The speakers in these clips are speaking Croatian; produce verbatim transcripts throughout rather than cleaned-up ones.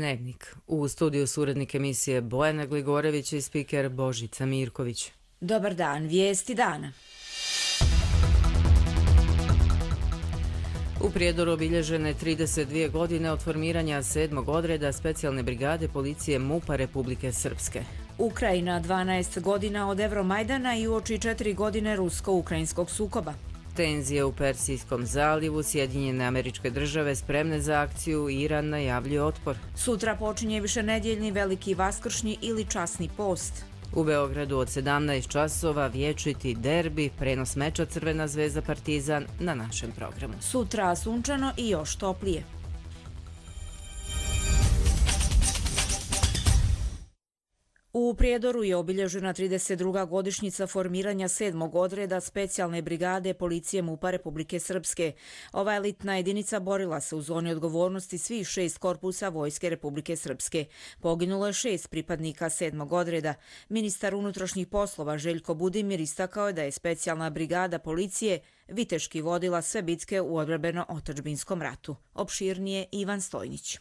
Dnevnik. U studiju su urednik emisije Bojana Gligorević i spiker Božica Mirković. Dobar dan, vijesti dana. U Prijedoru obilježene trideset dvije godine od formiranja sedmog odreda specijalne brigade policije MUP-a Republike Srpske. Ukrajina dvanaest godina od Evromajdana i uoči četiri godine rusko-ukrajinskog sukoba. Tenzije u Persijskom zalivu, Sjedinjene Američke Države spremne za akciju, Iran najavljuje otpor. Sutra počinje višenedjeljni veliki vaskršnji ili časni post. U Beogradu od sedamnaest časova vječiti derbi, prenos meča Crvena zvezda Partizan na našem programu. Sutra sunčano i još toplije. U Prijedoru je obilježena trideset druga godišnjica formiranja sedmog odreda specijalne brigade policije MUP-a Republike Srpske. Ova elitna jedinica borila se u zoni odgovornosti svih šest korpusa Vojske Republike Srpske. Poginulo je šest pripadnika sedmog odreda. Ministar unutrašnjih poslova Željko Budimir istakao je da je specijalna brigada policije viteški vodila sve bitke u odbrambeno-otadžbinskom ratu. Opširnije Ivan Stojnić.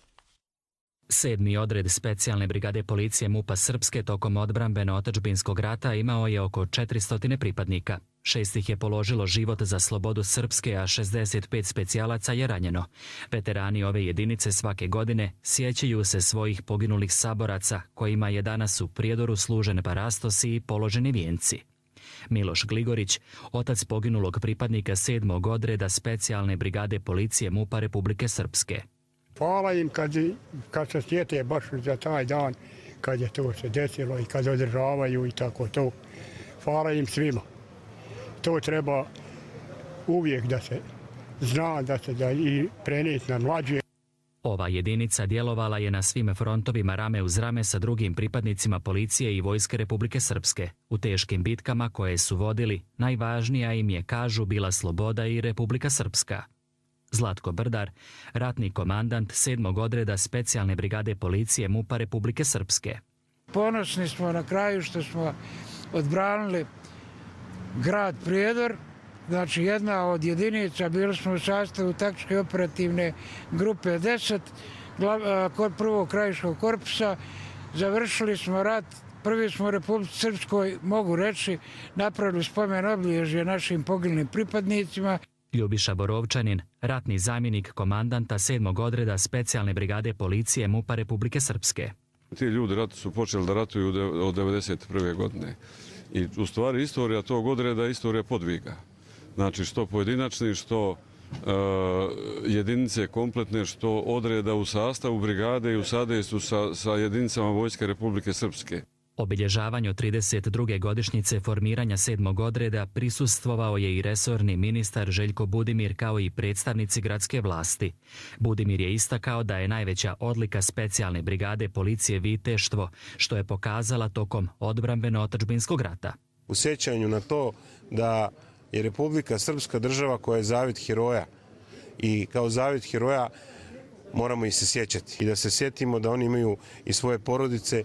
Sedmi odred specijalne brigade policije MUP-a Srpske tokom odbrambeno-otadžbinskog rata imao je oko četiristo pripadnika. Šest ih je položilo život za slobodu Srpske, a šezdeset pet specijalaca je ranjeno. Veterani ove jedinice svake godine sjećaju se svojih poginulih saboraca, kojima je danas u Prijedoru služen parastos i položeni vijenci. Miloš Gligorić, otac poginulog pripadnika sedmog odreda specijalne brigade policije MUP-a Republike Srpske. Hvala im kad, kad se sjete baš za taj dan, kad je to se desilo i kad održavaju i tako to. Hvala im svima. To treba uvijek da se zna, da se da i prenijeti na mlađe. Ova jedinica djelovala je na svim frontovima rame uz rame sa drugim pripadnicima policije i Vojske Republike Srpske. U teškim bitkama koje su vodili, najvažnija im je, kažu, bila sloboda i Republika Srpska. Zlatko Brdar, ratni komandant sedmog odreda specijalne brigade policije MUP-a Republike Srpske. Ponosni smo na kraju što smo odbranili grad Prijedor, znači jedna od jedinica, bili smo u sastavu taktičke operativne grupe deset, kod prvog krajiškog korpusa, završili smo rat, prvi smo u Republici Srpskoj, mogu reći, napravili spomen obilježje našim poginulim pripadnicima. Ljubiša Borovčanin, ratni zamjenik komandanta sedmog odreda specijalne brigade policije MUP-a Republike Srpske. Ti ljudi ratu su počeli da ratuju od devedeset prve godine. I u stvari istorija tog odreda je istorija podviga. Znači što pojedinačni, što uh, jedinice kompletne, što odreda u sastavu brigade i u sadejstvu sa, sa jedinicama Vojske Republike Srpske. Obilježavanju trideset druge godišnjice formiranja sedmog odreda prisustvovao je i resorni ministar Željko Budimir kao i predstavnici gradske vlasti. Budimir je istakao da je najveća odlika specijalne brigade policije viteštvo, što je pokazala tokom odbrambeno-otadžbinskog rata. U sjećanju na to da je Republika Srpska država koja je zavit heroja i kao zavit heroja moramo ih se sjećati i da se sjetimo da oni imaju i svoje porodice.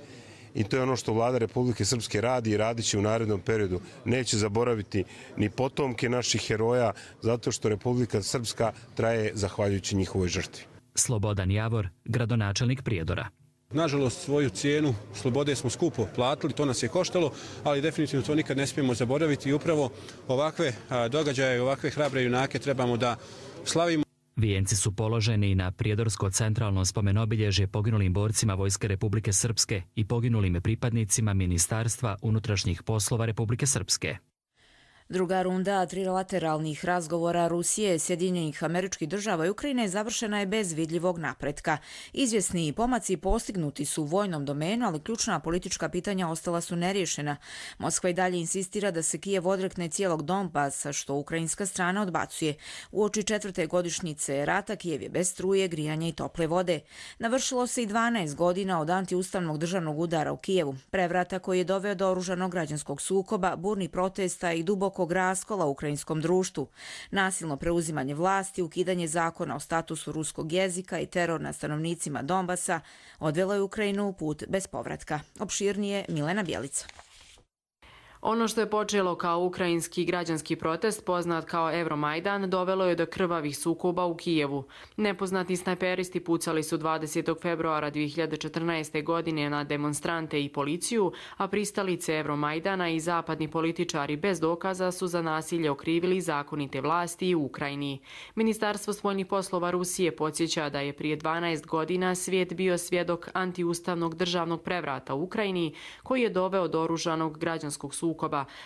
I to je ono što vlada Republike Srpske radi i radit će u narednom periodu. Neće zaboraviti ni potomke naših heroja, zato što Republika Srpska traje zahvaljujući njihovoj žrtvi. Slobodan Javor, gradonačelnik Prijedora. Nažalost, svoju cijenu slobode smo skupo platili, to nas je koštalo, ali definitivno to nikad ne smijemo zaboraviti i upravo ovakve događaje, ovakve hrabre junake trebamo da slavimo. Vijenci su položeni na Prijedorsko centralno spomenobilježje poginulim borcima Vojske Republike Srpske i poginulim pripadnicima Ministarstva unutrašnjih poslova Republike Srpske. Druga runda trilateralnih razgovora Rusije, Sjedinjenih Američkih Država i Ukrajine završena je bez vidljivog napretka. Izvjesni pomaci postignuti su u vojnom domenu, ali ključna politička pitanja ostala su neriješena. Moskva i dalje insistira da se Kijev odrekne cijelog Donbasa, što ukrajinska strana odbacuje. Uoči četvrte godišnjice rata Kijev je bez struje, grijanja i tople vode. Navršilo se i dvanaest godina od antiustavnog državnog udara u Kijevu, prevrata koji je doveo do oružanog građanskog sukoba, burnih protesta i duboko raskola u ukrajinskom društvu. Nasilno preuzimanje vlasti, ukidanje zakona o statusu ruskog jezika i teror na stanovnicima Donbasa odvelo je Ukrajinu u put bez povratka. Opširnije Milena Bjelica. Ono što je počelo kao ukrajinski građanski protest, poznat kao Euromajdan, dovelo je do krvavih sukoba u Kijevu. Nepoznati snajperisti pucali su dvadesetog februara dvije hiljade četrnaeste. godine na demonstrante i policiju, a pristalice Euromajdana i zapadni političari bez dokaza su za nasilje okrivili zakonite vlasti u Ukrajini. Ministarstvo spoljnih poslova Rusije podsjeća da je prije dvanaest godina svijet bio svjedok antiustavnog državnog prevrata u Ukrajini, koji je doveo do oružanog građanskog sukoba,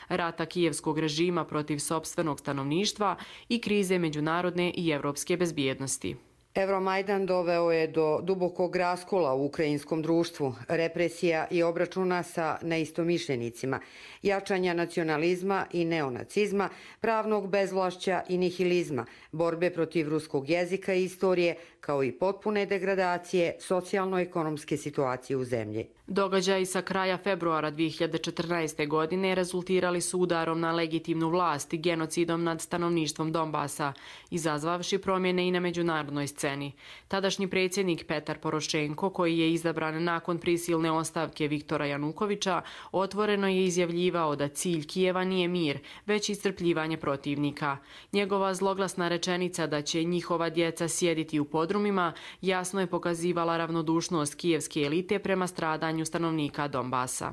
rata kijevskog režima protiv sopstvenog stanovništva i krize međunarodne i evropske bezbjednosti. Euromajdan doveo je do dubokog raskola u ukrajinskom društvu, represija i obračuna sa neistomišljenicima, jačanja nacionalizma i neonacizma, pravnog bezvlašća i nihilizma, borbe protiv ruskog jezika i istorije, kao i potpune degradacije socijalno-ekonomske situacije u zemlji. Događaji sa kraja februara dvije hiljade četrnaeste. godine rezultirali su udarom na legitimnu vlast i genocidom nad stanovništvom Donbasa, izazvavši promjene i na međunarodnoj sceni. Tadašnji predsjednik Petar Porošenko, koji je izabran nakon prisilne ostavke Viktora Janukovića, otvoreno je izjavljivao da cilj Kijeva nije mir, već iscrpljivanje protivnika. Njegova zloglasna rečenica da će njihova djeca sjediti u podrumima jasno je pokazivala ravnodušnost kijevske elite prema stradanju stanovnika Donbasa.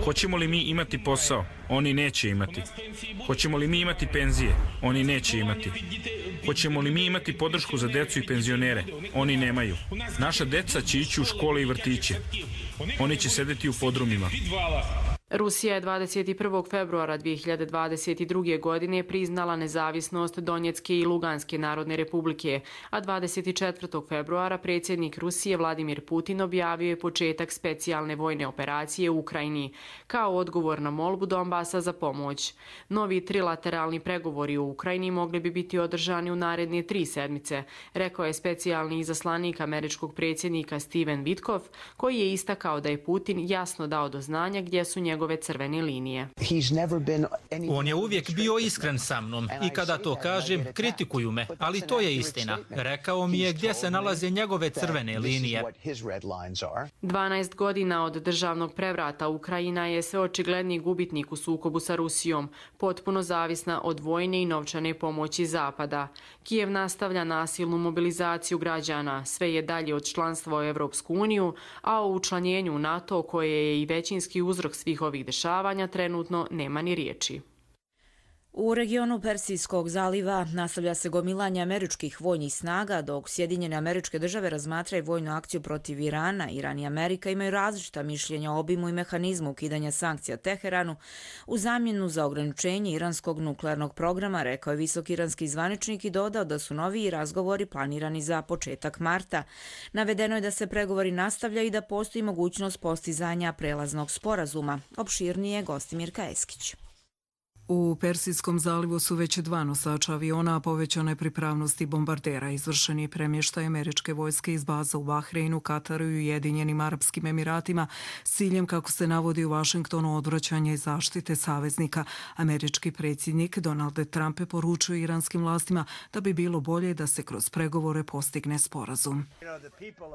Hoćemo li mi imati posao? Oni neće imati. Hoćemo li mi imati penzije? Oni neće imati. Hoćemo li mi imati podršku za decu i penzionere? Oni nemaju. Naša deca će ići u škole i vrtiće. Oni će sedeti u podrumima. Rusija je dvadeset prvog februara dvije hiljade dvadeset druge. godine priznala nezavisnost Donjecke i Luganske narodne republike, a dvadeset četvrtog februara predsjednik Rusije Vladimir Putin objavio je početak specijalne vojne operacije u Ukrajini, kao odgovor na molbu Donbasa za pomoć. Novi trilateralni pregovori u Ukrajini mogli bi biti održani u naredne tri sedmice, rekao je specijalni izaslanik američkog predsjednika Steven Witkoff, koji je istakao da je Putin jasno dao do znanja gdje su njegove njegove crvene linije. On je uvijek bio iskren sa mnom i kada to kažem, kritikuju me, ali to je istina. Rekao mi je gdje se nalaze njegove crvene linije. dvanaest godina od državnog prevrata Ukrajina je sve očigledniji gubitnik u sukobu sa Rusijom, potpuno zavisna od vojne i novčane pomoći Zapada. Kijev nastavlja nasilnu mobilizaciju građana, sve je dalje od članstva u Evropsku uniju, a o učlanjenju u NATO, koje je i većinski uzrok svih ovih dešavanja, trenutno nema ni riječi. U regionu Persijskog zaliva nastavlja se gomilanje američkih vojnih snaga, dok Sjedinjene Američke Države razmatraju vojnu akciju protiv Irana. Iran i Amerika imaju različita mišljenja o obimu i mehanizmu ukidanja sankcija Teheranu u zamjenu za ograničenje iranskog nuklearnog programa, rekao je visoki iranski zvaničnik i dodao da su novi razgovori planirani za početak marta. Navedeno je da se pregovori nastavljaju i da postoji mogućnost postizanja prelaznog sporazuma. Opširnije Gostimir Kaeskić. U Persijskom zalivu su već dva nosača aviona, a povećane pripravnosti bombardera. Izvršen je premještaj američke vojske iz baza u Bahreinu, Kataru i Ujedinjenim Arapskim Emiratima s ciljem, kako se navodi u Vašingtonu, odvraćanja i zaštite saveznika. Američki predsjednik Donald Trump je poručio iranskim vlastima da bi bilo bolje da se kroz pregovore postigne sporazum.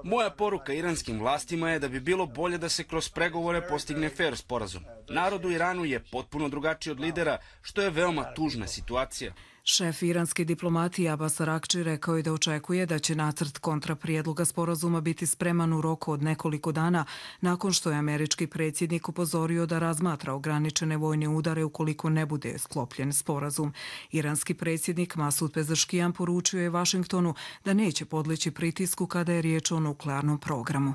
Moja poruka iranskim vlastima je da bi bilo bolje da se kroz pregovore postigne fer sporazum. Narod u Iranu je potpuno drugačiji od lidera, što je veoma tužna situacija. Šef iranske diplomatije Abbas Araghči rekao je da očekuje da će nacrt kontraprijedloga sporazuma biti spreman u roku od nekoliko dana, nakon što je američki predsjednik upozorio da razmatra ograničene vojne udare ukoliko ne bude sklopljen sporazum. Iranski predsjednik Masud Pezeškijan poručio je Vašingtonu da neće podleći pritisku kada je riječ o nuklearnom programu.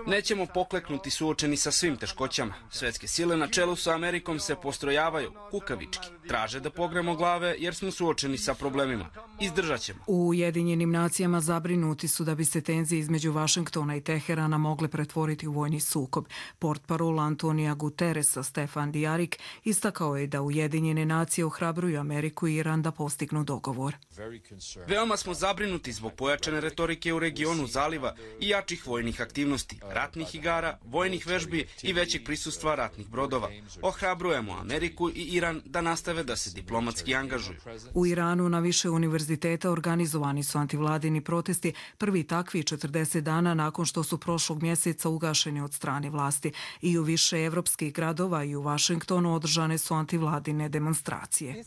Nećemo pokleknuti suočeni sa svim teškoćama. Svetske sile na čelu sa Amerikom se postrojavaju kukavički. Traže da pogremo glave jer smo suočeni sa problemima. Izdržat ćemo. U Ujedinjenim nacijama zabrinuti su da bi se tenzije između Vašingtona i Teherana mogle pretvoriti u vojni sukob. Portparol Antonija Guterresa Stefan Dijarik istakao je da Ujedinjene nacije ohrabruju Ameriku i Iran da postignu dogovor. Veoma smo zabrinuti zbog pojačane retorike u regionu zaliva i jačih vojnih aktivnosti, ratnih igara, vojnih vežbi i većeg prisustva ratnih brodova. Ohrabrujemo Ameriku i Iran da nastave da se diplomatski angažuju. angažuju. U Iranu na više univerziteta organizovani su antivladini protesti, prvi takvi četrdeset dana nakon što su prošlog mjeseca ugašeni od strane vlasti. I u više evropskih gradova i u Vašingtonu održane su antivladine demonstracije.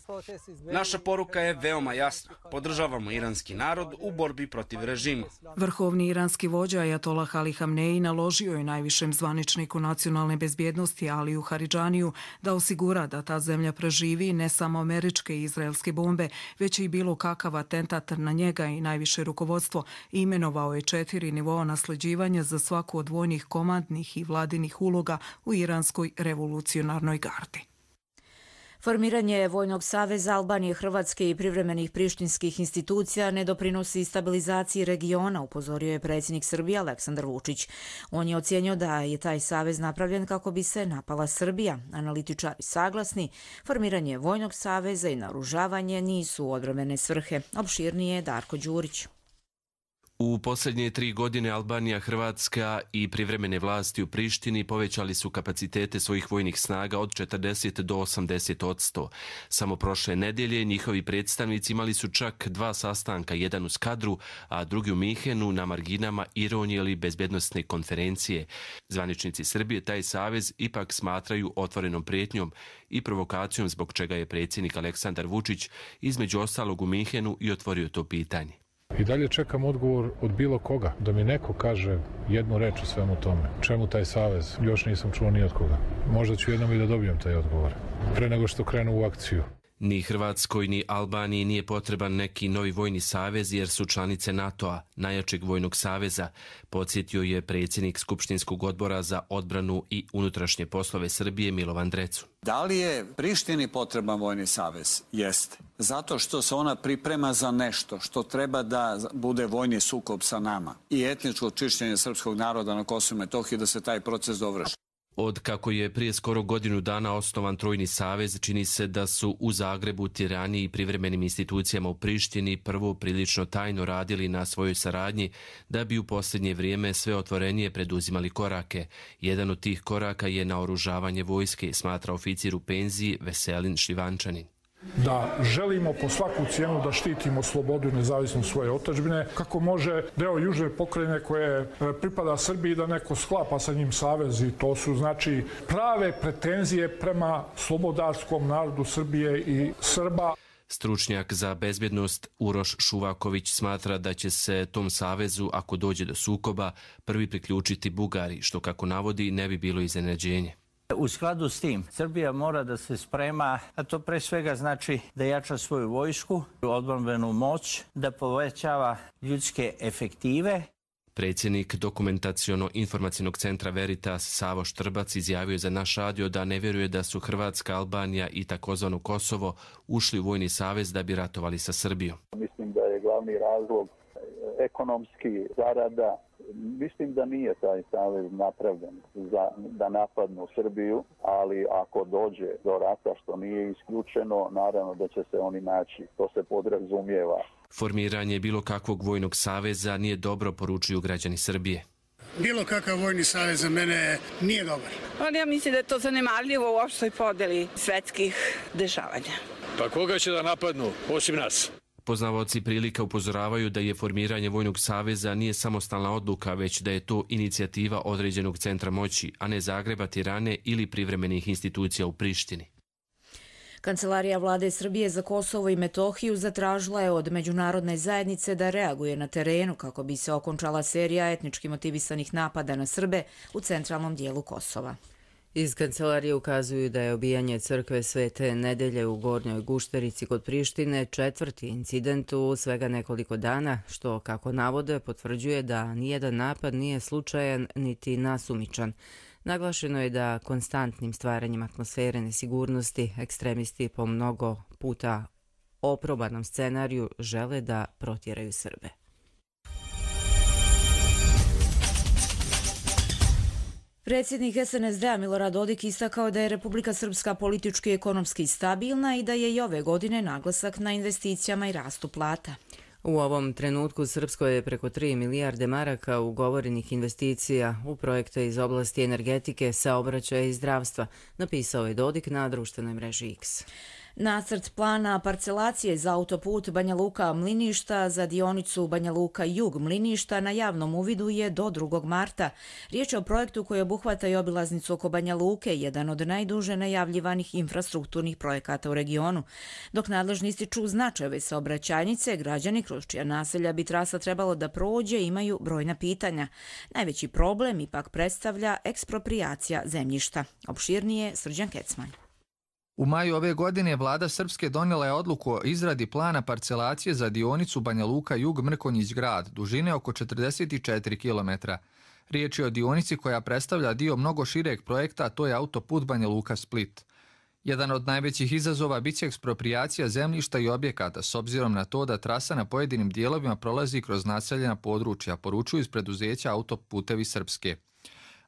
Naša poruka je veoma jasna. Podržavamo iranski narod u borbi protiv režima. Vrhovni iranski vođa Ajatollah Ali Hamneji naložio je najvišem zvaničniku nacionalne bezbjednosti Aliju Haridžaniju da osigura da ta zemlja preživi ne samo američke i izraelske bombe, već i bilo kakav atentat na njega i najviše rukovodstvo. Imenovao je četiri nivoa nasljeđivanja za svaku od vojnih, komandnih i vladinih uloga u iranskoj revolucionarnoj gardi. Formiranje Vojnog saveza Albanije, Hrvatske i privremenih prištinskih institucija ne doprinosi stabilizaciji regiona, upozorio je predsjednik Srbije Aleksandar Vučić. On je ocijenio da je taj savez napravljen kako bi se napala Srbija. Analitičari saglasni, formiranje Vojnog saveza i naoružavanje nisu odbrambene svrhe. Opširnije je Darko Đurić. U posljednje tri godine Albanija, Hrvatska i privremene vlasti u Prištini povećali su kapacitete svojih vojnih snaga od četrdeset do osamdeset odsto. Samo prošle nedelje njihovi predstavnici imali su čak dva sastanka, jedan u Skadru, a drugi u Minhenu na marginama Ironije ili bezbjednostne konferencije. Zvaničnici Srbije taj savez ipak smatraju otvorenom prijetnjom i provokacijom, zbog čega je predsjednik Aleksandar Vučić između ostalog u Minhenu i otvorio to pitanje. I dalje čekam odgovor od bilo koga, da mi neko kaže jednu reč o svemu tome. Čemu taj savez? Još nisam čuo ni od koga. Možda ću jednom i da dobijem taj odgovor, pre nego što krenu u akciju. Ni Hrvatskoj ni Albaniji nije potreban neki novi vojni savez jer su članice NATO-a, najjačeg vojnog saveza, podsjetio je predsjednik Skupštinskog odbora za odbranu i unutrašnje poslove Srbije Milovan Drecu. Da li je Prištini potreban vojni savez? Jeste. Zato što se ona priprema za nešto što treba da bude vojni sukob sa nama i etničko čišćenje srpskog naroda na Kosovu i Metohiji, da se taj proces dovrši. Od kako je prije skoro godinu dana osnovan Trojni savez, čini se da su u Zagrebu, Tirani i privremenim institucijama u Prištini prvo prilično tajno radili na svojoj saradnji, da bi u posljednje vrijeme sve otvorenije preduzimali korake. Jedan od tih koraka je naoružavanje vojske, smatra oficir u penziji Veselin Šljivančanin. Da želimo po svaku cijenu da štitimo slobodu i nezavisnost svoje otadžbine, kako može deo južne pokrajine koje pripada Srbiji da neko sklapa sa njim savez, i to su znači prave pretenzije prema slobodarskom narodu Srbije i Srba. Stručnjak za bezbjednost Uroš Šuvaković smatra da će se tom savezu, ako dođe do sukoba, prvi priključiti Bugari, što kako navodi ne bi bilo iznenađenje. U skladu s tim, Srbija mora da se sprema, a to pre svega znači da jača svoju vojsku, odbrambenu moć, da povećava ljudske efektive. Predsjednik Dokumentaciono-informacijnog centra Veritas Savo Štrbac izjavio za naš radio da ne vjeruje da su Hrvatska, Albanija i takozvano Kosovo ušli u vojni savez da bi ratovali sa Srbijom. Mislim da je glavni razlog ekonomski zarada. Mislim da nije taj savez napravljen za da napadnu Srbiju, ali ako dođe do rata, što nije isključeno, naravno da će se oni naći. To se podrazumijeva. Formiranje bilo kakvog vojnog saveza nije dobro, poručuju građani Srbije. Bilo kakav vojni savez za mene nije dobar. Ali ja mislim da je to zanemarljivo u opštoj podeli svetskih dešavanja. Pa koga će da napadnu, osim nas? Poznavaoci prilika upozoravaju da je formiranje Vojnog saveza nije samostalna odluka, već da je to inicijativa određenog centra moći, a ne Zagreba, Tirane ili privremenih institucija u Prištini. Kancelarija vlade Srbije za Kosovo i Metohiju zatražila je od međunarodne zajednice da reaguje na terenu kako bi se okončala serija etnički motivisanih napada na Srbe u centralnom dijelu Kosova. Iz kancelarije ukazuju da je obijanje crkve Svete Nedelje u Gornjoj Gušterici kod Prištine četvrti incident u svega nekoliko dana, što, kako navode, potvrđuje da nijedan napad nije slučajan niti nasumičan. Naglašeno je da konstantnim stvaranjem atmosfere nesigurnosti ekstremisti po mnogo puta oprobanom scenariju žele da protjeraju Srbe. Predsjednik S N S D-a Milorad Dodik istakao da je Republika Srpska politički i ekonomski stabilna i da je i ove godine naglasak na investicijama i rastu plata. U ovom trenutku Srpsko je preko tri milijarde maraka ugovorenih investicija u projekte iz oblasti energetike, saobraćaja i zdravstva, napisao je Dodik na društvenoj mreži X. Nacrt plana parcelacije za autoput Banja Luka-Mliništa za dionicu Banja Luka-Jug-Mliništa na javnom uvidu je do drugog marta. Riječ je o projektu koji obuhvata i obilaznicu oko Banja Luke, jedan od najduže najavljivanih infrastrukturnih projekata u regionu. Dok nadležni ističu značaj ove saobraćajnice, građani kroz čija naselja bi trasa trebalo da prođe imaju brojna pitanja. Najveći problem ipak predstavlja eksproprijacija zemljišta. Opširnije Srđan Kecman. U maju ove godine vlada Srpske donijela je odluku o izradi plana parcelacije za dionicu Banja Luka-Jug-Mrkonjić grad, dužine oko četrdeset četiri kilometra. Riječ je o dionici koja predstavlja dio mnogo šireg projekta, a to je autoput Banja Luka-Split. Jedan od najvećih izazova biće eksproprijacija zemljišta i objekata, s obzirom na to da trasa na pojedinim dijelovima prolazi kroz naseljena područja, poručuju iz preduzeća Autoputevi Srpske.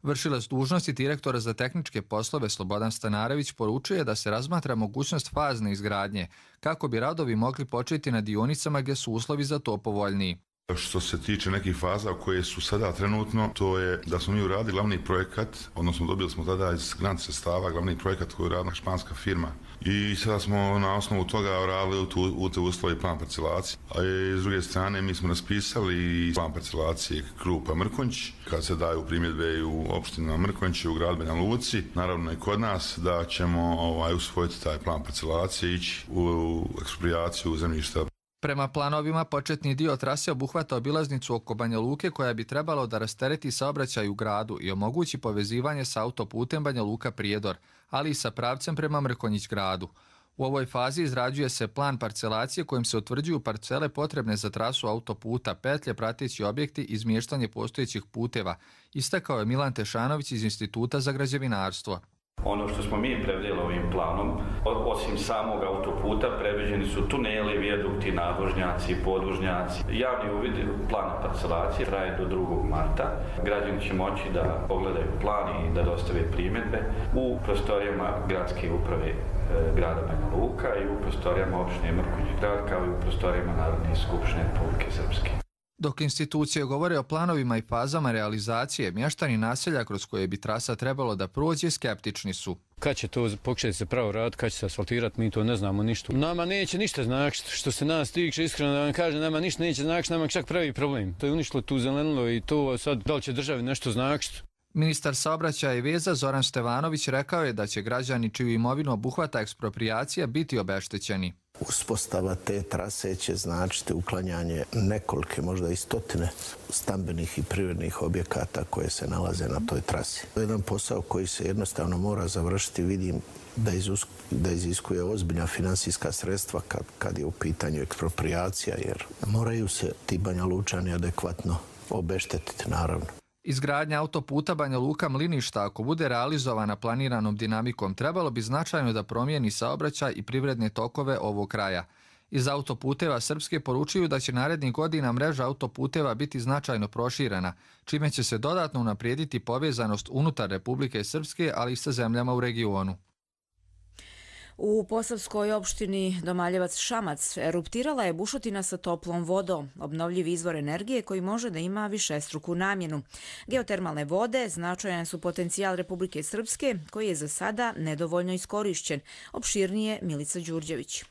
Vršilac dužnosti direktora za tehničke poslove Slobodan Stanarević poručuje da se razmatra mogućnost fazne izgradnje, kako bi radovi mogli početi na dionicama gdje su uslovi za to povoljniji. Što se tiče nekih faza koje su sada trenutno, to je da smo mi uradili glavni projekat, odnosno dobili smo tada iz grant sredstava glavni projekat koji je uradila španska firma. I sada smo na osnovu toga uradili u te uslovi plan parcelacije. A s druge strane mi smo raspisali plan parcelacije Krupa Mrkonjić, kad se daju primjedbe u opština Mrkonjić i u grad Banja Luci, naravno i kod nas, da ćemo ovaj, usvojiti taj plan parcelacije i ići u eksproprijaciju zemljišta. Prema planovima, početni dio trase obuhvata obilaznicu oko Banja Luke koja bi trebalo da rastereti saobraćaj u gradu i omogući povezivanje sa autoputem Banja Luka-Prijedor, ali i sa pravcem prema Mrkonjić gradu. U ovoj fazi izrađuje se plan parcelacije kojim se utvrđuju parcele potrebne za trasu autoputa, petlje, prateći objekti i izmještanje postojećih puteva, istakao je Milan Tešanović iz Instituta za građevinarstvo. Ono što smo mi predvidjeli ovim planom, osim samog autoputa, predviđeni su tuneli, vijadukti, nadvožnjaci, podvožnjaci. Javni uvid plana parcelacije traje do drugog marta. Građani će moći da pogledaju plan i da dostave primjedbe u prostorijama gradske uprave grada Banja Luka i u prostorijama opštine Mrkonjić grad, kao i u prostorijama Narodne skupštine Republike Srpske. Dok institucije govore o planovima i fazama realizacije, mještani naselja kroz koje bi trasa trebalo da prođe skeptični su. Kad će to pokušati se pravo raditi, kad će se asfaltirati, mi to ne znamo ništa. Nama neće ništa značiti, što se nas tiče, iskreno da vam kažem, nama ništa neće značiti, nama čak pravi problem. To je uništilo tu zelenilo i to sad, da li će državi nešto značiti? Ministar saobraćaja i veza Zoran Stevanović rekao je da će građani čiju imovinu obuhvata eksproprijacija biti obeštećeni. Uspostava te trase će značiti uklanjanje nekolike, možda i stotine stambenih i privrednih objekata koje se nalaze na toj trasi. To je jedan posao koji se jednostavno mora završiti. Vidim da, izusku, da iziskuje ozbiljna finansijska sredstva kad, kad je u pitanju eksproprijacija, jer moraju se ti Banja Lučani adekvatno obeštetiti, naravno. Izgradnja autoputa Banja Luka-Mliništa, ako bude realizovana planiranom dinamikom, trebalo bi značajno da promijeni saobraćaj i privredne tokove ovog kraja. Iz Autoputeva Srpske poručuju da će narednih godina mreža autoputeva biti značajno proširena, čime će se dodatno unaprijediti povezanost unutar Republike Srpske, ali i sa zemljama u regionu. U posavskoj opštini Domaljevac-Šamac eruptirala je bušotina sa toplom vodom, obnovljivi izvor energije koji može da ima višestruku namjenu. Geotermalne vode značajan su potencijal Republike Srpske, koji je za sada nedovoljno iskorišćen. Opširnije Milica Đurđević.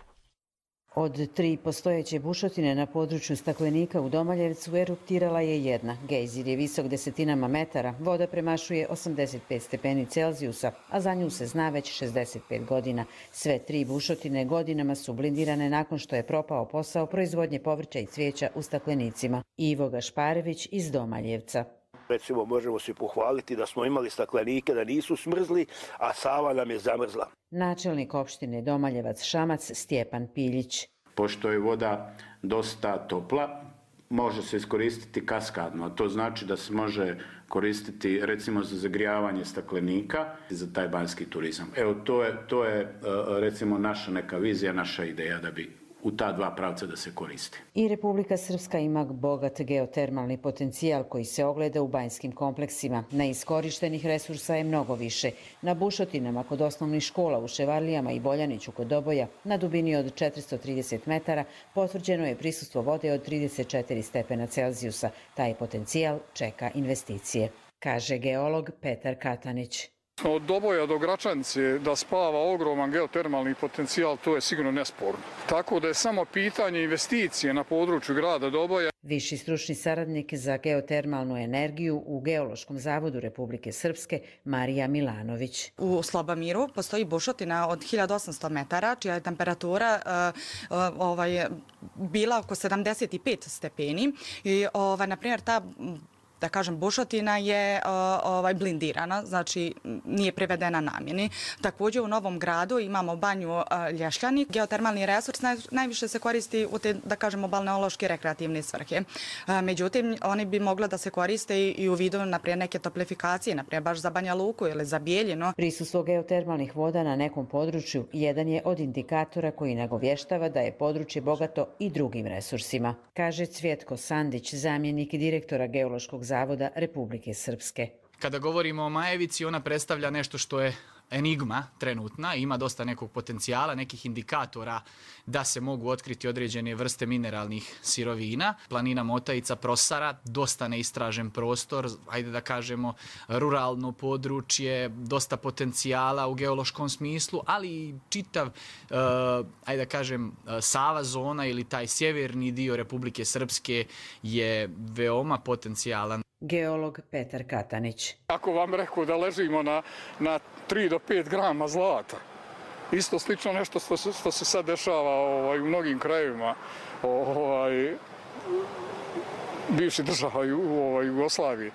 Od tri postojeće bušotine na području Staklenika u Domaljevcu eruptirala je jedna. Gejzir je visok desetinama metara, voda premašuje osamdeset pet stepeni Celzijusa, a za nju se zna već šezdeset pet godina. Sve tri bušotine godinama su blindirane nakon što je propao posao proizvodnje povrća i cvijeća u Staklenicima. Ivo Gašparević iz Domaljevca. Recimo, možemo se pohvaliti da smo imali staklenike, da nisu smrzli, a Sava nam je zamrzla. Načelnik opštine Domaljevac-Šamac Stjepan Piljić. Pošto je voda dosta topla, može se iskoristiti kaskadno, a to znači da se može koristiti recimo za zagrijavanje staklenika za taj banjski turizam. Evo, to je, to je recimo naša neka vizija, naša ideja da bi u ta dva pravca da se koristi. I Republika Srpska ima bogat geotermalni potencijal koji se ogleda u banjskim kompleksima. Neiskorištenih resursa je mnogo više. Na bušotinama kod osnovnih škola u Ševarlijama i Boljaniću kod Doboja na dubini od četiristo trideset metara potvrđeno je prisustvo vode od trideset četiri stepena Celzijusa. Taj potencijal čeka investicije, kaže geolog Petar Katanić. Od Doboja do Gračanice da spava ogroman geotermalni potencijal, to je sigurno nesporno. Tako da je samo pitanje investicije na području grada Doboja. Viši stručni saradnik za geotermalnu energiju u Geološkom zavodu Republike Srpske Marija Milanović. U Slobamiru postoji bušotina od hiljadu osamsto metara, čija je temperatura uh, ovaj, bila oko sedamdeset pet stepeni. I, ovaj, na primjer, ta da kažem, bušotina je uh, ovaj, blindirana, znači nije privedena namjeni. Također u Novom Gradu imamo banju uh, Lješljani. Geotermalni resurs naj, najviše se koristi u te, da kažemo, balneološke rekreativne svrhe. Uh, međutim, oni bi mogli da se koriste i, i u vidu, naprijed, neke toplifikacije, naprijed baš za Banja Luku ili za Bijeljinu. Prisustvo geotermalnih voda na nekom području jedan je od indikatora koji nagovještava da je područje bogato i drugim resursima, kaže Cvjetko Sandić, zamjenik direktora Geološkog zavoda Republike Srpske. Kada govorimo o Majevici, ona predstavlja nešto što je enigma trenutna, ima dosta nekog potencijala, nekih indikatora da se mogu otkriti određene vrste mineralnih sirovina. Planina Motajica, Prosara, dosta neistražen prostor, ajde da kažemo ruralno područje, dosta potencijala u geološkom smislu, ali i čitav, ajde da kažem, Sava zona ili taj sjeverni dio Republike Srpske je veoma potencijalan. Geolog Petar Katanić. Ako vam rekao da ležimo na, na tri do pet grama zlata, isto slično nešto što se, što se sad dešava ovaj, u mnogim krajevima ovaj, bivše država u ovaj, Jugoslaviji,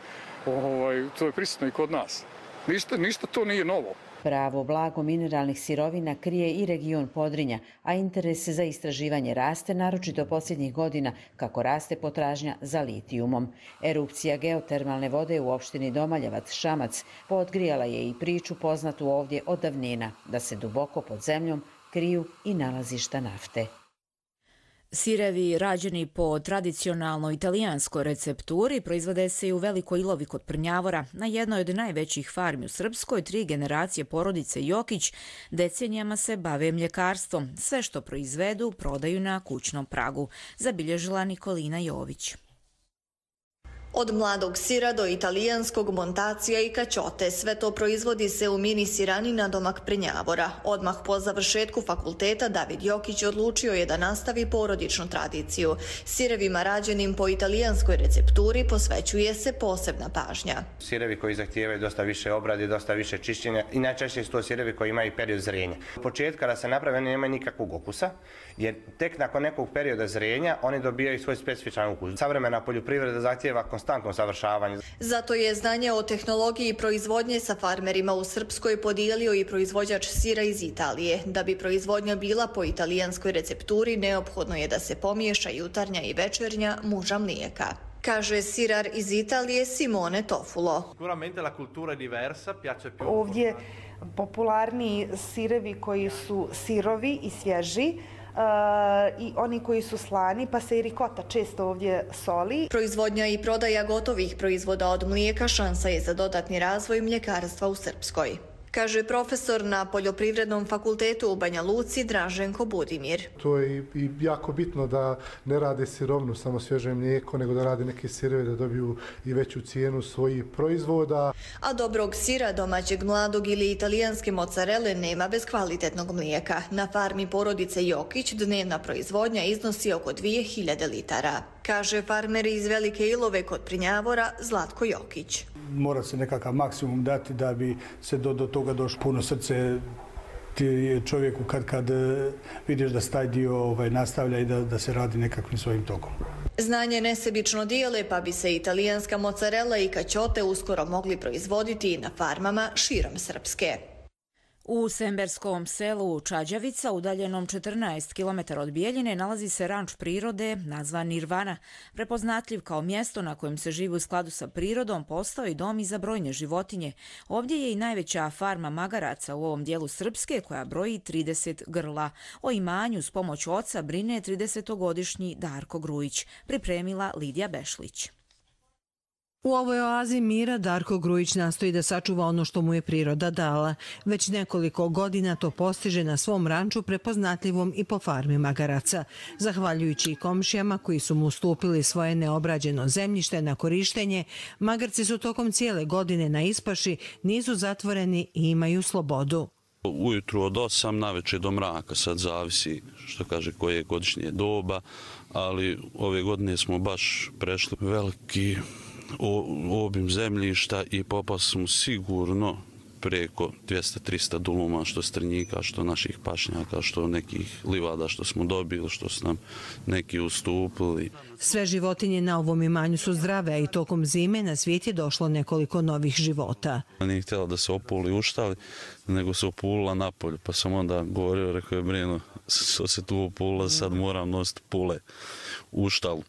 ovaj, to je prisutno i kod nas. Ništa, ništa to nije novo. Pravo blago mineralnih sirovina krije i region Podrinja, a interes za istraživanje raste, naročito posljednjih godina, kako raste potražnja za litijumom. Erupcija geotermalne vode u opštini Domaljevac, Šamac, podgrijala je i priču poznatu ovdje od davnina, da se duboko pod zemljom kriju i nalazišta nafte. Sirevi rađeni po tradicionalnoj italijanskoj recepturi proizvode se i u Velikoj Ilovi kod Prnjavora. Na jednoj od najvećih farmi u Srpskoj tri generacije porodice Jokić decenijama se bave mljekarstvom. Sve što proizvedu prodaju na kućnom pragu, zabilježila Nikolina Jović. Od mladog sira do italijanskog montacija i kaćote, sve to proizvodi se u mini sirani na domak Prnjavora. Odmah po završetku fakulteta David Jokić odlučio je da nastavi porodičnu tradiciju. Sirevima rađenim po italijanskoj recepturi posvećuje se posebna pažnja. Sirevi koji zahtijevaju dosta više obrade, dosta više čišćenja i najčešće su to sirevi koji imaju period zrenja. U početku kada se naprave oni nemaju nikakvog okusa, jer tek nakon nekog perioda zrenja oni dobijaju svoj specifičan ukus. Savremena poljoprivreda zahtijeva konstantno savršavanje. Zato je znanje o tehnologiji proizvodnje sa farmerima u Srpskoj podijelio i proizvođač sira iz Italije. Da bi proizvodnja bila po italijanskoj recepturi, neophodno je da se pomiješa jutarnja i večernja muža mlijeka, kaže sirar iz Italije Simone Tofulo. Ovdje popularniji sirevi koji su sirovi i svježi, Uh, i oni koji su slani, pa se i rikota često ovdje soli. Proizvodnja i prodaja gotovih proizvoda od mlijeka šansa je za dodatni razvoj mljekarstva u Srpskoj, kaže profesor na Poljoprivrednom fakultetu u Banja Luci Draženko Budimir. To je i jako bitno da ne rade sirovnu, samo svježe mlijeko, nego da rade neke sireve da dobiju i veću cijenu svojih proizvoda. A dobrog sira, domaćeg, mladog ili italijanske mozzarelle nema bez kvalitetnog mlijeka. Na farmi porodice Jokić dnevna proizvodnja iznosi oko dvije hiljade litara, kaže farmer iz Velike Ilove kod Prnjavora Zlatko Jokić. Mora se nekakav maksimum dati da bi se do, do toga došlo. Puno srce ti je čovjeku kad, kad vidiš da se taj dio ovaj, nastavlja i da, da se radi nekakvim svojim tokom. Znanje nesebično dijele, pa bi se italijanska mozzarella i kaćote uskoro mogli proizvoditi i na farmama širom Srpske. U Semberskom selu Čađavica, udaljenom četrnaest kilometara od Bijeljine, nalazi se ranč prirode nazvan Nirvana. Prepoznatljiv kao mjesto na kojem se živi u skladu sa prirodom, postao i dom i za brojne životinje. Ovdje je i najveća farma magaraca u ovom dijelu Srpske, koja broji trideset grla. O imanju s pomoć oca brine tridesetogodišnji Darko Grujić, pripremila Lidija Bešlić. U ovoj oazi mira Darko Grujić nastoji da sačuva ono što mu je priroda dala. Već nekoliko godina to postiže na svom ranču prepoznatljivom i po farmi magaraca. Zahvaljujući i komšijama koji su mu ustupili svoje neobrađeno zemljište na korištenje, magarci su tokom cijele godine na ispaši, nisu zatvoreni i imaju slobodu. Ujutru od osam, navečer do mraka, sad zavisi što kaže koje je godišnje doba, ali ove godine smo baš prešli veliki obim zemljišta i popali smo sigurno preko dvjesto do trista duluma, što strnjika, što naših pašnjaka, što nekih livada što smo dobili, što su nam neki ustupili. Sve životinje na ovom imanju su zdrave, a i tokom zime na svijet je došlo nekoliko novih života. Nije htjela da se opuli u štali, nego se opulila napolju, pa sam onda govorio, rekao je Brino, što se tu opulila, sad moram nositi pule u štalu.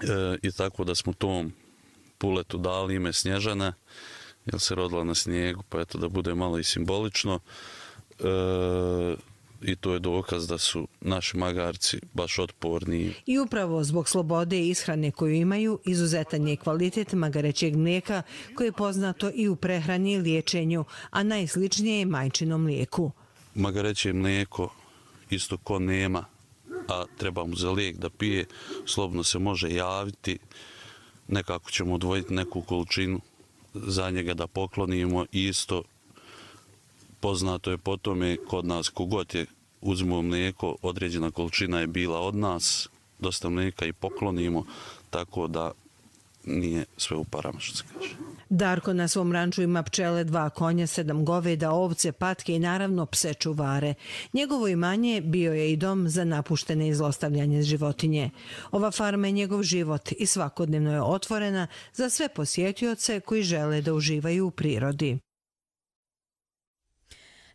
E, I tako da smo tom puletu dali ime Snježana, jer se rodila na snijegu, pa eto da bude malo i simbolično. E, I to je dokaz da su naši magarci baš otporni. I upravo zbog slobode i ishrane koju imaju, izuzetan je kvalitet magarećeg mlijeka koje je poznato i u prehrani i liječenju, a najsličnije je majčinom mlijeku. Magareće mlijeko isto ko nema, a treba mu za lijek da pije, slobodno se može javiti. Nekako ćemo odvojiti neku količinu za njega da poklonimo. Isto poznato je po tome kod nas, kogod je uzmemo mlijeko, određena količina je bila od nas, dosta mlijeka i poklonimo, tako da nije sve u parama, što se kaže. Darko na svom ranču ima pčele, dva konja, sedam goveda, ovce, patke i naravno pse čuvare. Njegovo imanje bio je i dom za napuštene i zlostavljanje životinje. Ova farma je njegov život i svakodnevno je otvorena za sve posjetioce koji žele da uživaju u prirodi.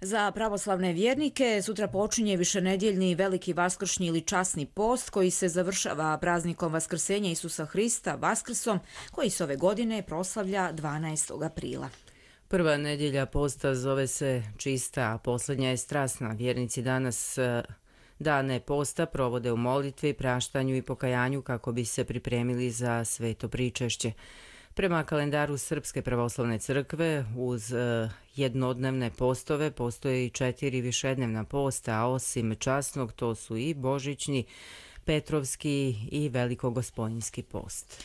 Za pravoslavne vjernike sutra počinje višenedjeljni veliki vaskršnji ili časni post koji se završava praznikom Vaskrsenja Isusa Hrista, Vaskrsom, koji se ove godine proslavlja dvanaestog aprila. Prva nedjelja posta zove se čista, a posljednja je strasna. Vjernici danas dane posta provode u molitvi, praštanju i pokajanju kako bi se pripremili za sveto pričešće. Prema kalendaru Srpske pravoslavne crkve, uz jednodnevne postove postoje i četiri višednevna posta, a osim časnog to su i božićni, petrovski i velikogospojinski post.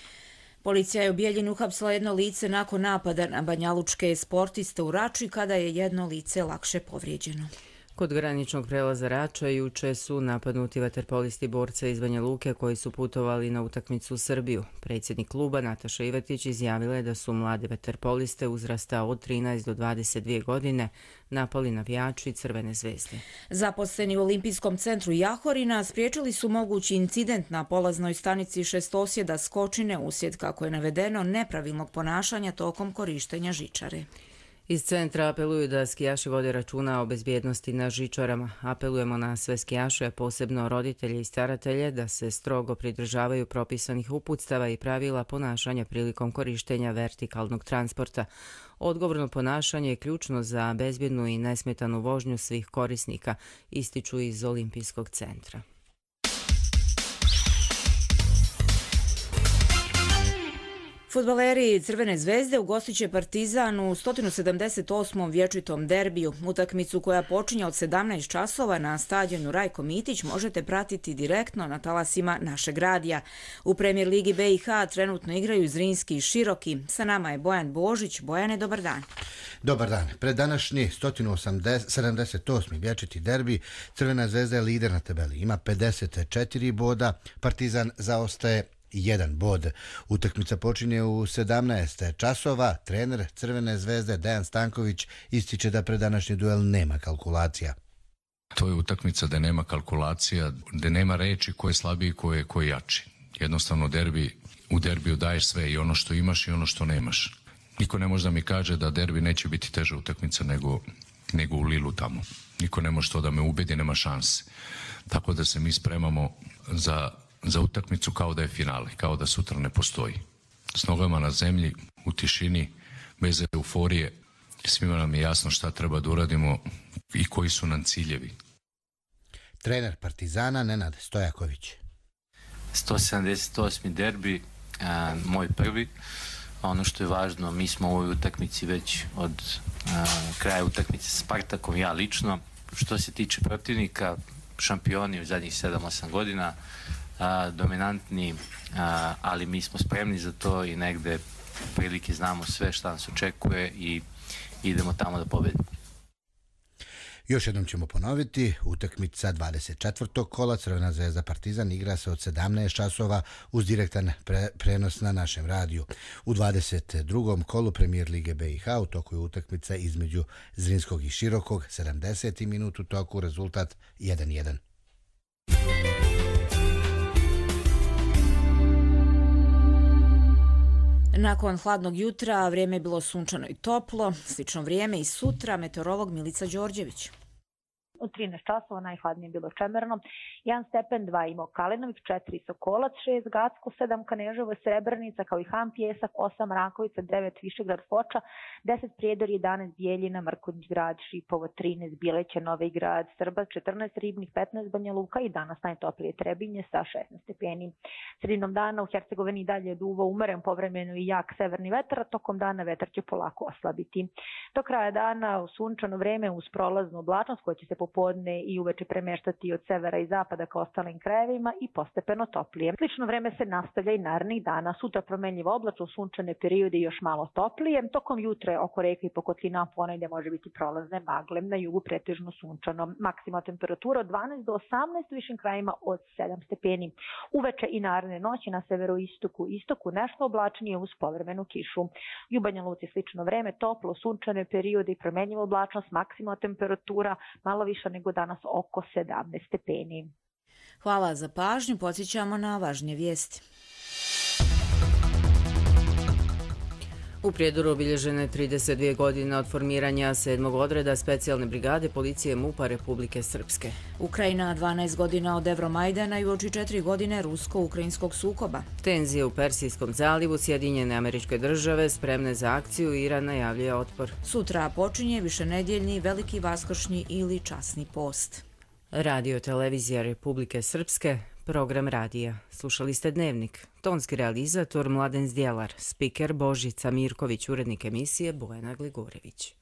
Policija je u Bijeljini uhapsila jedno lice nakon napada na banjalučke sportiste u Rači kada je jedno lice lakše povrijeđeno. Kod graničnog prelaza Rača juče su napadnuti vaterpolisti borca iz Banja Luke koji su putovali na utakmicu u Srbiju. Predsjednik kluba Nataša Ivetić izjavila je da su mlade vaterpoliste uzrasta od trinaest do dvadeset dvije godine napali navijači Crvene zvezde. Zaposleni u Olimpijskom centru Jahorina spriječili su mogući incident na polaznoj stanici šestosjeda Skočine uslijed, kako je navedeno, nepravilnog ponašanja tokom korištenja žičare. Iz centra apeluju da skijaši vode računa o bezbjednosti na žičarama. Apelujemo na sve skijaše, posebno roditelje i staratelje, da se strogo pridržavaju propisanih uputstava i pravila ponašanja prilikom korištenja vertikalnog transporta. Odgovorno ponašanje je ključno za bezbjednu i nesmetanu vožnju svih korisnika, ističu iz Olimpijskog centra. Fudbaleri Crvene zvezde ugostit će Partizan u sto sedamdeset osmom vječitom derbiju. Utakmicu koja počinje od sedamnaest časova na stadionu Rajko Mitić možete pratiti direktno na talasima našeg radija. U Premijer Ligi B i H trenutno igraju Zrinski i Široki. Sa nama je Bojan Božić. Bojane, dobar dan. Dobar dan. Pred današnji sto sedamdeset osmi vječiti derbi Crvena zvezda je lider na tabeli. Ima pedeset četiri boda, Partizan zaostaje jedan bod. Utakmica počinje u sedamnaest časova. Trener Crvene zvezde Dejan Stanković ističe da pred današnji duel nema kalkulacija. To je utakmica da nema kalkulacija, da nema reči ko je slabiji, ko je, ko je jači. Jednostavno derbi, u derbiju daješ sve, i ono što imaš i ono što nemaš. Niko ne može da mi kaže da derbi neće biti teža utakmica nego, nego u Lilu tamo. Niko ne može to da me ubedi, nema šanse. Tako da se mi spremamo za za utakmicu kao da je finale, kao da sutra ne postoji. S nogama na zemlji, u tišini, bez euforije, svima nam je jasno šta treba da uradimo i koji su nam ciljevi. Trener Partizana Nenad Stojaković. sto sedamdeset osmi derbi, a, moj prvi. ono što je važno, mi smo u ovoj utakmici već od a, kraja utakmice sa Spartakom, ja lično. Što se tiče protivnika, šampioni u zadnjih sedam osam godina, a, dominantni, a, ali mi smo spremni za to i negde prilike znamo sve šta nas očekuje i idemo tamo da pobedimo. Još jednom ćemo ponoviti, utakmica dvadeset četvrtog kola Crvena zvezda Partizan igra se od sedamnaest časova uz direktan pre, prenos na našem radiju. U dvadeset drugom kolu Premijer Lige B i H u toku je utakmica između Zrinskog i Širokog, sedamdeseti minut u toku, rezultat jedan jedan. Nakon hladnog jutra vrijeme je bilo sunčano i toplo, slično vrijeme i sutra, meteorolog Milica Đorđević. U trinaest časova najhladnije bilo čemerno, jedan stepen, dva imao Kalinović, četiri Sokolac, šest Gacko, sedam Kaneževo, Srebrenica, kao i Han Pjesak, osam Rakovica, devet Višegrad Foča, deset Prijedor, jedanaest Bijeljina, Mrkonjić Grad, Šipovo, trinaest Bileće, Novi Grad, Srba, četrnaest Ribnik, petnaest Banja Luka i danas najtoplije Trebinje sa šesnaest stepeni. Sredinom dana u Hercegovini dalje duva umeren, povremeno i jak severni vetar, a tokom dana vetar će polako oslabiti. Do kraja dana u sunčano vreme uz prolaznu oblačnost koja će se popodne i uveče premeštati od severa i zapada ka ostalim krajevima i postepeno toplije. Slično vreme se nastavlja i narednih dana. Sutra promenljivo oblačno, sunčane periode još malo toplije. Tokom jutra oko reka i po kotlina ponegdje može biti prolazne magle. Na jugu pretežno sunčano. Maksimalna temperatura od dvanaest do osamnaest, u višim krajima od sedam stepeni. Uveče i naredne noći na severoistoku i istoku nešto oblačnije uz povremenu kišu. U Banja Luci slično vreme, toplo, sunčane periode i promenljivo oblačnost, maksimalna temperatura malo više nego danas oko sedamnaest stepeni. Hvala za pažnju, podsjećamo na važnije vijesti. U Prijedoru obilježene trideset dvije godine od formiranja sedmog odreda specijalne brigade policije MUP-a Republike Srpske. Ukrajina dvanaest godina od Evromajdana i uoči četiri godine rusko-ukrajinskog sukoba. Tenzije u Persijskom zalivu, Sjedinjene Američke Države spremne za akciju, Iran najavljuje otpor. Sutra počinje višenedeljni veliki vaskršnji ili časni post. Radio televizija Republike Srpske, program radija. Slušali ste Dnevnik. Tonski realizator Mladen Zdjelar, spiker Božica Mirković, urednik emisije Bojana Gligorević.